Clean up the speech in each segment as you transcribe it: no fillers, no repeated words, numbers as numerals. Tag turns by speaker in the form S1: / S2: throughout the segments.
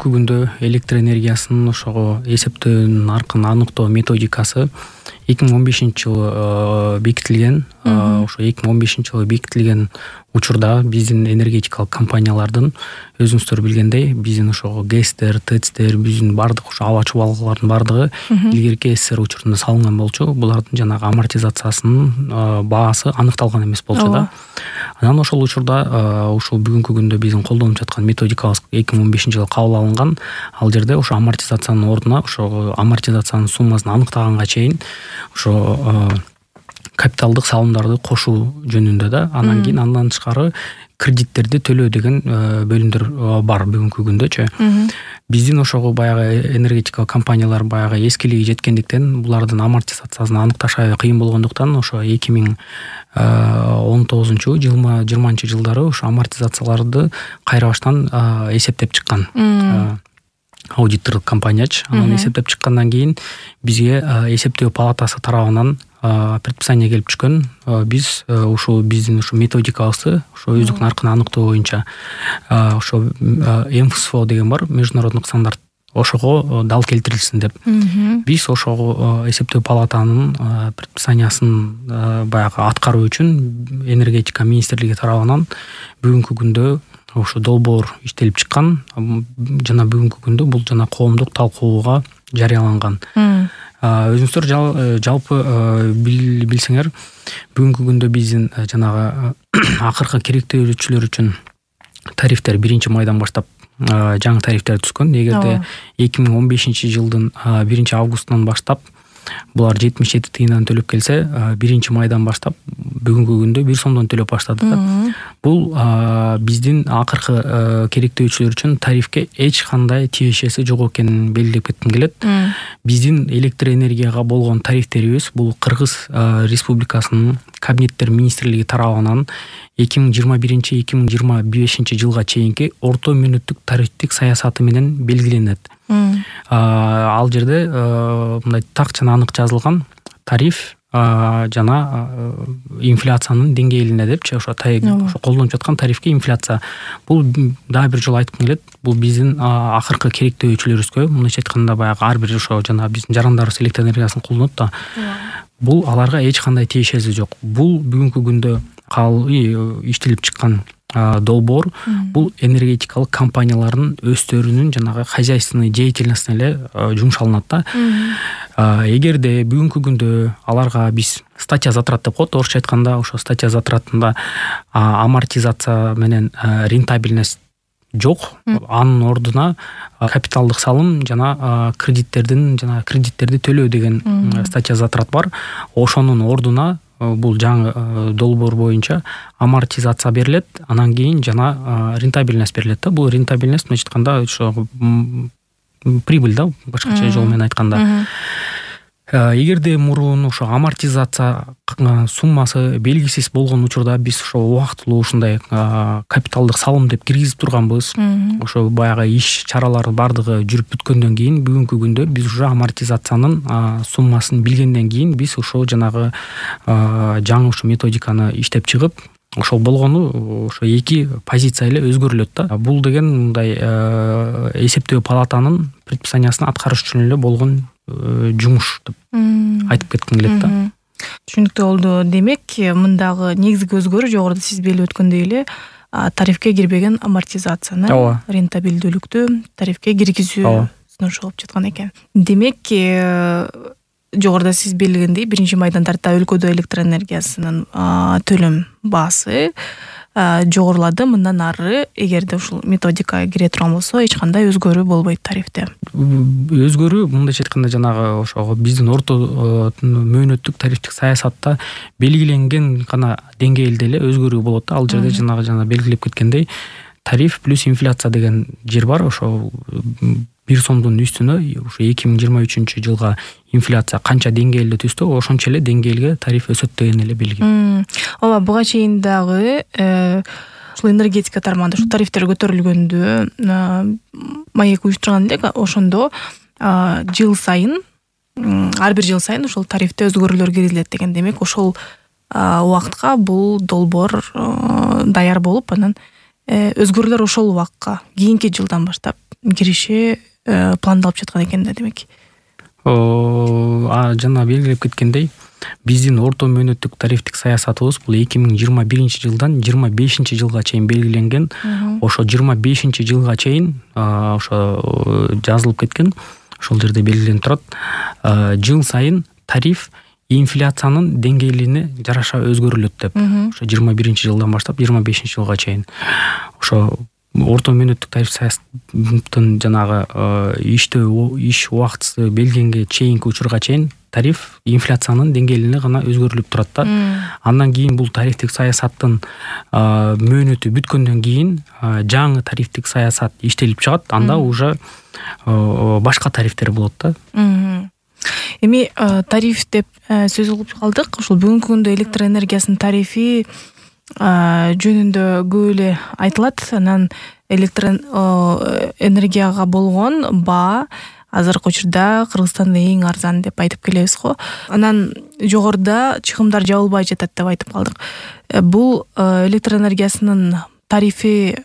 S1: бүгүнкү күндө электр энергиясынын ошого эсептөө наркын аныктоо методикасы 2015-жылы бекитилген. Ошо 2015-жылы бекитилген учурда биздин энергетикалык компаниялардын өзүңүздөр билгендей биздин ошого ГЭСтер, ТЭЦтер, биздин бардык ошо аба чубалгылардын бардыгы илгерки СССР учурунда салынган болчу. Булардын жанагы амортизациясынын баасы аныкталган эмес болчу да. Анан ошол учурда ушул бүгүнкү күндө биздин колдонуп жаткан методикабыз 2015-жылы кабыл алынган. Ал жерде ошо амортизациянын ордуна ошо амортизациянын суммасын аныктаганга чейин ошо капиталдык салымдарды кошуу жөнүндө да, анан кийин андан тышкары кредиттерди төлөө деген бөлүмдөр бар бүгүнкү күндөчү. Биздин ошого баягы энергетикалык компаниялар баягы эскилиги жеткендиктен булардын амортизациясын аныкташ аябай кыйын болгондуктан ошо 2019-20 жылдары ошо амортизацияларды кайра баштан эсептеп чыккан. Аудитордук компаниячы. Анан эсептеп чыккандан кийин бизге эсептөө палатасы тарабынан предписание келип түшкөн. Биз ушул биздин ушу методикабызды ошо өздүк наркын аныктоо боюнча ошо МФСФО деген бар, международный стандарт. Ошого дал келтирилсин деп. Биз ошого эсептөө палатанын предписаниясын баягы аткаруу үчүн энергетика министрлиги тарабынан бүгүнкү күндө ошо долбоор иштелип чыккан. Жана бүгүнкү күндө бул жана коомдук талкууга жарыяланган. Өзүңүздөр жалпы билсеңер, бүгүнкү күндө биздин жанагы акыркы керектөөчүлөр үчүн тарифтер 1-майдан баштап жаңы тарифтер түшкөн. Эгерде 2015-жылдын 1-августунан баштап булар 77 тыйындан төлөп келсе, 1-майдан баштап бүгүнкү күндө 1 сомдон төлөп баштады да. Бул биздин акыркы керектөөчүлөр үчүн тарифке эч кандай тиешеси жок экенин белгилеп кетким келет. Биздин электр энергияга болгон тарифтерибиз бул Кыргыз Республикасынын Кабинеттер министрлиги тарабынан 2021-2025 жылга чейинки орто мөөнөттүк тарифтик саясаты менен белгиленет. Ал жерде мындай так жана анык жазылган тариф жана инфляциянын деңгээлине депчи, ошо колдонуп жаткан тарифке инфляция. Бул дагы бир жолу айткым келет. Бул биздин акыркы керектөөчүлөрүбүзгө, мындайча айтканда баягы ар бир ошо жана биздин жарандарыбыз электр энергиясын колдонот да. Бул аларга эч кандай тиешеси жок. Бул бүгүнкү күндө иштелип чыккан долбоор бул энергетикалык компаниялардын өздөрүнүн жанагы хозяйственный деятельностуна эле жумшалынат да. Эгерде бүгүнкү күндө аларга биз статья затрат деп коет, орусча айтканда, ошо статья затратында амортизация менен рентабельность жок, анын ордуна капиталдык салым жана кредиттерди төлөө деген статья затрат бар. Ошонун ордуна бул жаңы долбоор боюнча амортизация берилет, анан кийин жана рентабельность берилет да. Бул рентабельность мынча айтканда ошо прибыль да, башкача жол менен айтканда. Эгерде мурун ошо амортизация суммасы белгисиз болгон учурда биз ошо убактылуу ушундай капиталдык салым деп киргизип турганбыз. Ошо баягы иш чаралары бардыгы жүрүп бүткөндөн кийин бүгүнкү күндө биз уже амортизациянын суммасын билгенден кийин биз ошо жанагы жаңы ушу методиканы иштеп чыгып, ошол болгону ошо эки позиция эле өзгөрүлөт да. Бул деген мындай эсептөө палатанын предписаниясын аткарыш үчүн эле болгон жумуш деп айтып кетким келет да.
S2: Түшүнүктүү болду. Демек, мындагы негизги өзгөрүү жогоруда сиз белип өткөндөй эле тарифке кирбеген амортизацияны, рентабелдүүлүктү тарифке киргизүү сунушу болуп жаткан экен. Демек, жогоруда сиз белгилегендей 1-майдан тарта өлкөдө электр энергиясынын төлөм баасы жогорулады. Мындан ары эгерде ушул методика кире турган болсо, эч кандай өзгөрүү болбойт тарифте.
S1: Өзгөрүү мындайча айтканда жанагы ошо биздин орто мөөнөттүк тарифтик саясатта белгиленген гана деңгээлде эле өзгөрүү болот да. Ал жерде жана белгилеп кеткендей тариф плюс инфляция деген жер бар. Ошо 1 сомдун үстүнө ушу 2023 жылга инфляция канча деңгээлде түстө, ошончо эле деңгээлге тариф өсөт деген эле белги.
S2: Ооба, буга чейин дагы ушул энергетика тармагында ушул тарифтер көтөрүлгөндө маек уюштурган элек, ошондо жыл сайын ар бир жыл сайын ушул тарифте өзгөрүүлөр киргизилет деген. Демек, ошол убакытка бул долбоор даяр болуп, анан өзгөрүүлөр ошол убакка кийинки жылдан баштап кириши пландалып жаткан экен да демек.
S1: Жана белгилеп кеткендей, биздин орто мөөнөттүк тарифтик саясатыбыз бул 2021 жылдан 25 жылга чейин белгиленген. Ошо 25 жылга чейин ошо жазылып кеткен. Ошол жерде белгиленип турат. Жыл сайын тариф инфляциянын деңгээлине жараша өзгөрүлөт деп. Ошо 21 жылдан баштап 25 жылга чейин. Ошо орто мөөнөттүк тариф саясаттын жанагы иш убактысы белгиленге чейинки учурга чейин тариф инфляциянын деңгээлине гана өзгөрүлүп турат да. Андан кийин бул тарифтик саясаттын мөөнөтү бүткөндөн кийин жаңы тарифтик саясат иштелип чыгат. Анда уже башка тарифтер болот да.
S2: Эми тариф деп сөз кылып калдык. Ушул бүгүнкү күндө электр энергиясынын тарифи жөнүндө көп эле айтылат. Анан электр энергияга болгон баа азыркы учурда Кыргызстанда эң арзан деп айтып келебиз го. Анан жогоруда чыгымдар жабылбай жатат деп айтып калдык. Бул электр энергиясынын тарифи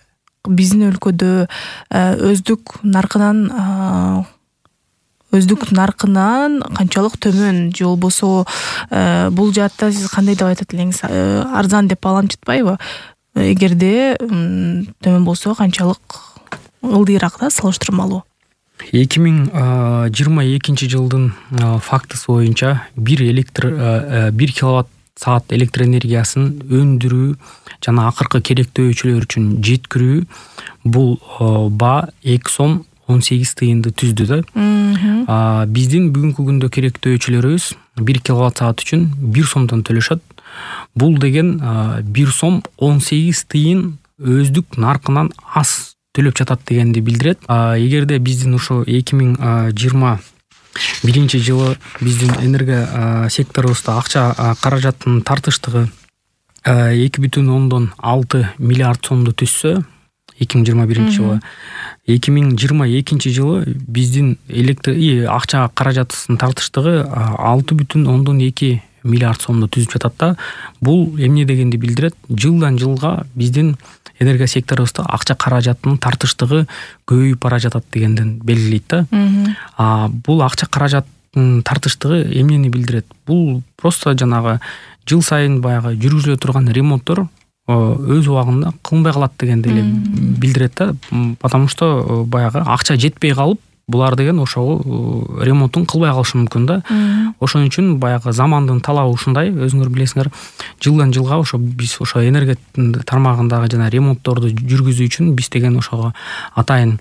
S2: биздин өлкөдө өздүк наркынан канчалык төмөн, же болбосо бул жаатта сиз кандай деп айтат элеңиз? Арзан деп баламчытпайбы? Эгерде төмөн болсо канчалык ылдыйраак да салыштырмалуу?
S1: 2022 жылдын фактысы боюнча 1 киловатт саат электр энергиясын өндүрүү жана акыркы керектөөчүлөр үчүн жеткирүү бул баа 2 сом 18 тыйынды түздү да. Биздин бүгүнкү күндө керектөөчүлөрүбүз 1 киловатт саат үчүн 1 сомдон төлөшөт. Бул деген 1 сом 18 тыйын өздүк наркынан аз төлөп жатат дегенди билдирет. Эгерде биздин ушу 2021 жылы биздин энергия секторубузда акча каражаттын тартыштыгы 2,6 миллиард сомду түзсө 2021 жылы, 2022 жылы биздин акча каражатынын тартыштыгы 6,2 миллиард сомду түзүп жатат да. Бул эмне дегенди билдирет? Жылдан жылга биздин энергия секторубузда акча каражатынын тартыштыгы көбөйүп бара жатат дегенден белгилейт да. Бул акча каражаттын тартыштыгы эмнени билдирет? Бул просто жанагы жыл сайын баягы жүргүзүлө турган ремонттор өз убагында кылынбай калат дегенди эле билдирет да. Потому что баягы акча жетпей калып, булар деген ошол ремонтун кылбай калышы мүмкүн да. Ошон үчүн баягы замандын талабы ушундай, өзүңөр билесиңер, жылдан жылга ошо биз ошо энергия тармагындагы жана ремонтторду жүргүзүү үчүн биз деген ошого атайын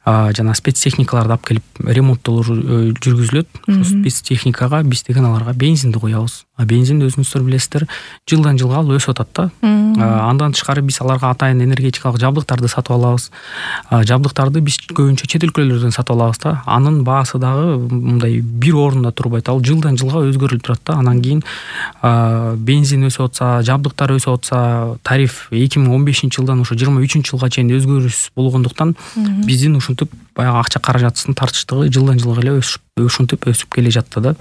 S1: жана спецтехникаларды алып келип ремонттолор жүргүзүлөт. Ошо спецтехникага биз деген аларга бензинди коебуз. Бензин өзүңүздөр билесиздер, жылдан жылга ал өсүп атат да. Андан тышкары биз аларга атайын энергетикалык жабдыктарды сатып алабыз. Жабдыктарды биз көбүнчө чет өлкөлөрдөн сатып алабыз да. Анын баасы дагы мындай бир орунда турбайт. Ал жылдан жылга өзгөрүлүп турат да. Анан кийин бензин өсүп атса, жабдыктар өсүп атса, тариф 2015 жылдан ошо 23 жылга чейин өзгөрүш болгондуктан биздин ушинтип баягы акча каражатынын тартыштыгы жылдан жылга эле ушинтип өсүп келе жатты да.